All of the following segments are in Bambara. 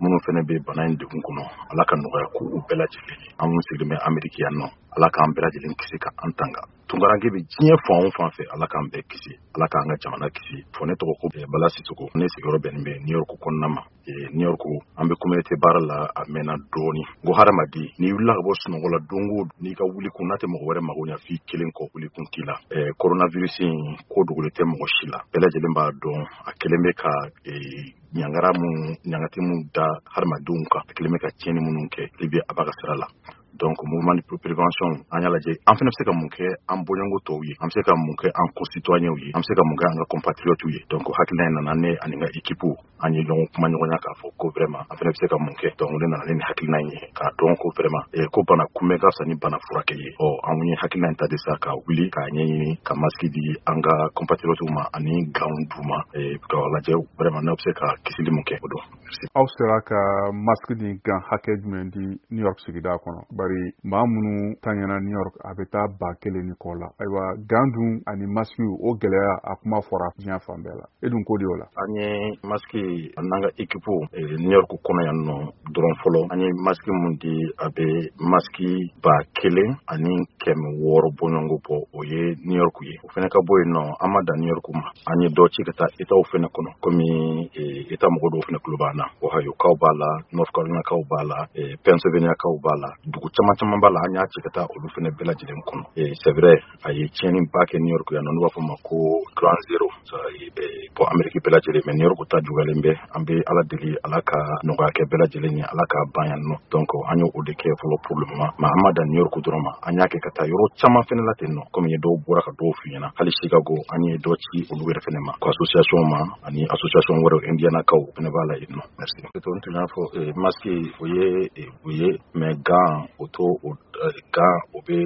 Minnu fana bɛ bana in degun kɔnɔ, Ala ka nɔgɔya k'u bɛɛ lajɛlen ye. An minnu sigilen bɛ Ameriki yan nɔ, Ala k'an bɛɛ lajɛlen kisi ka an tanga. Tunkaranke bɛ diɲɛ fan o fan fɛ, Ala k'an bɛɛ kisi, Ala k'an ka jamana kisi. Fɔ ne tɔgɔ ko Bala Sisoko, ne sigiyɔrɔ bɛnnen bɛ New York kɔnɔna ma. New York, an bɛ communauté baara la a mɛnna dɔɔni. N ko hadamaden, n'i wulila ka bɔ sunɔgɔ la don o don, n'i ka wuli kun n'a tɛ mɔgɔ wɛrɛ mago ɲɛ f'i kelen kɔ, wuli kun t'i la. Coronavirus in ko dogolen tɛ mɔgɔ si la, bɛɛ lajɛlen b'a dɔn. A kɛlen bɛ ka ɲangara mun, ɲangati mun da hadamadenw kan, a kɛlen bɛ ka tiɲɛni minnu kɛ, Libi a b'a ka sira la. Donc mouvement de prévention, an y'a lajɛ an fana bɛ se ka mun kɛ an bɔɲɔgɔnko tɔw ye, an bɛ se ka mun kɛ an concitoyens ye, an bɛ se ka mun kɛ an ka compatriotes ye. Donc hakilina in nana ne ani n ka équipe, an ye ɲɔgɔn kuma ɲɔgɔnya k'a fɔ ko vraiment an fana bɛ se ka mun kɛ. Donc ne nana ne ni hakilina in ye k'a dɔn ko vraiment ko bana kunbɛn ka fisa ni bana furakɛ ye. Ɔ an ye hakilina in ta de sa ka wuli k'a ɲɛɲini ka masque di an ka compatriotes ma ani gants d'u ma, k'a lajɛ vraiment n'aw bɛ se ka kisili mun kɛ o don. Aw sera ka masque ni gants hakɛ jumɛn di New York sigida kɔnɔ? Bari maa minnu taɲɛna New York, a bɛ taa 1000 ni kɔ la. Ayiwa, gants dun ani masque, o gɛlɛya a kuma fɔra diɲɛ fan bɛɛ la, e dun ko di o la? An ye masque, an n'an ka équipe, New York kɔnɔ yan nɔ dɔrɔn fɔlɔ, an ye masque mun di, a bɛ masque 1600 bɔɲɔgɔnko bɔ. O ye New York ye. O fana ka bɔ yen nɔ, an ma dan New York ma, an ye dɔ ci ka taa Étatw fana kɔnɔ, komi État mɔgɔ dɔw fana tulo b'an na. Ohio kaw b'a la, North Carolina kaw b'a la, Pennsylvania kaw b'a la, dugu caman caman b'a la, an y'a ci ka taa olu fana bɛɛ lajɛlen kɔnɔ. C'est vrai, a ye tiɲɛni ba kɛ New York yan nɔ, n'u b'a fɔ ma ko Ground Zero. Bon, Amérique bɛɛ lajɛlen, mais New York ta juguyalen bɛ. An bɛ Ala deli, Ala ka nɔgɔya kɛ bɛɛ lajɛlen ye, Ala k'a ban yan nɔ. Donc an y'o de kɛ fɔlɔ pour le moment, mais an ma dan New York dɔrɔn ma, an y'a kɛ ka taa yɔrɔ caman fana la ten nɔ, komi dɔw bɔra ka dɔw f'i ɲɛna. Hali Chicago, an ye dɔ ci olu yɛrɛ fana ma, ko association ma ani association wɛrɛw, Indiana kaw fana b'a la yen nɔ. Merci. N tun y'a fɔ, masque o ye, mais gant o to o, gant o bɛ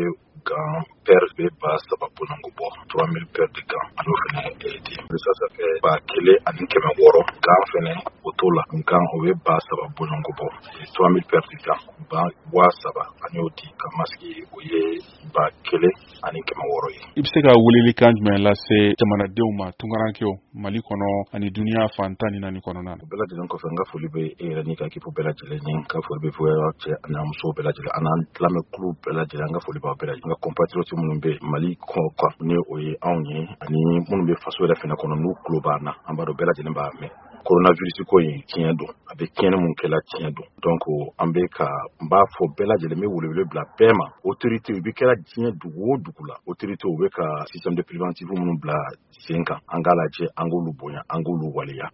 gants paire bɛ 3000 bɔɲɔgɔnko bɔ, 3000 paires de gants, an y'o fana di. Ça fait 1600. Gants fana, o t'o la, gants o bɛ 3000 bɔɲɔgɔnko bɔ, 3000 paires de gants, ba 3000, an y'o di. Ka masque, o ye 1600 ye. I bɛ se ka welelikan jumɛn lase jamanadenw ma, tunkarankew Mali kɔnɔ ani duniya fan 14 kɔnɔna na? O bɛɛ lajɛlen kɔfɛ, n ka foli bɛ e yɛrɛ n'i ka équipe bɛɛ lajɛlen ye. N ka foli bɛ fɔ cɛ ani musow bɛɛ lajɛlen, an n'an lamɛnkulu bɛɛ lajɛlen, an ka foli b'aw bɛɛ lajɛlen. N ka compatriotes minnu bɛ Mali kɔ kan, ni o ye anw ye, ani minnu bɛ faso yɛrɛ fɛnɛ kɔnɔ, n'u tulo b'an na, an b'a dɔn bɛɛ lajɛlen b'a mɛn. Coronavirus ko in, tiɲɛ don, a bɛ tiɲɛni mun kɛla, tiɲɛ don. Donc an bɛ ka n b'a fɔ bɛɛ lajɛlen, n bɛ welewele bila bɛɛ ma. Autorité u bɛ kɛra diɲɛ dugu o dugu la, autorité u bɛ ka système de préventif minnu bila sen kan, an k'a lajɛ an k'olu bonya, an k'olu waleya.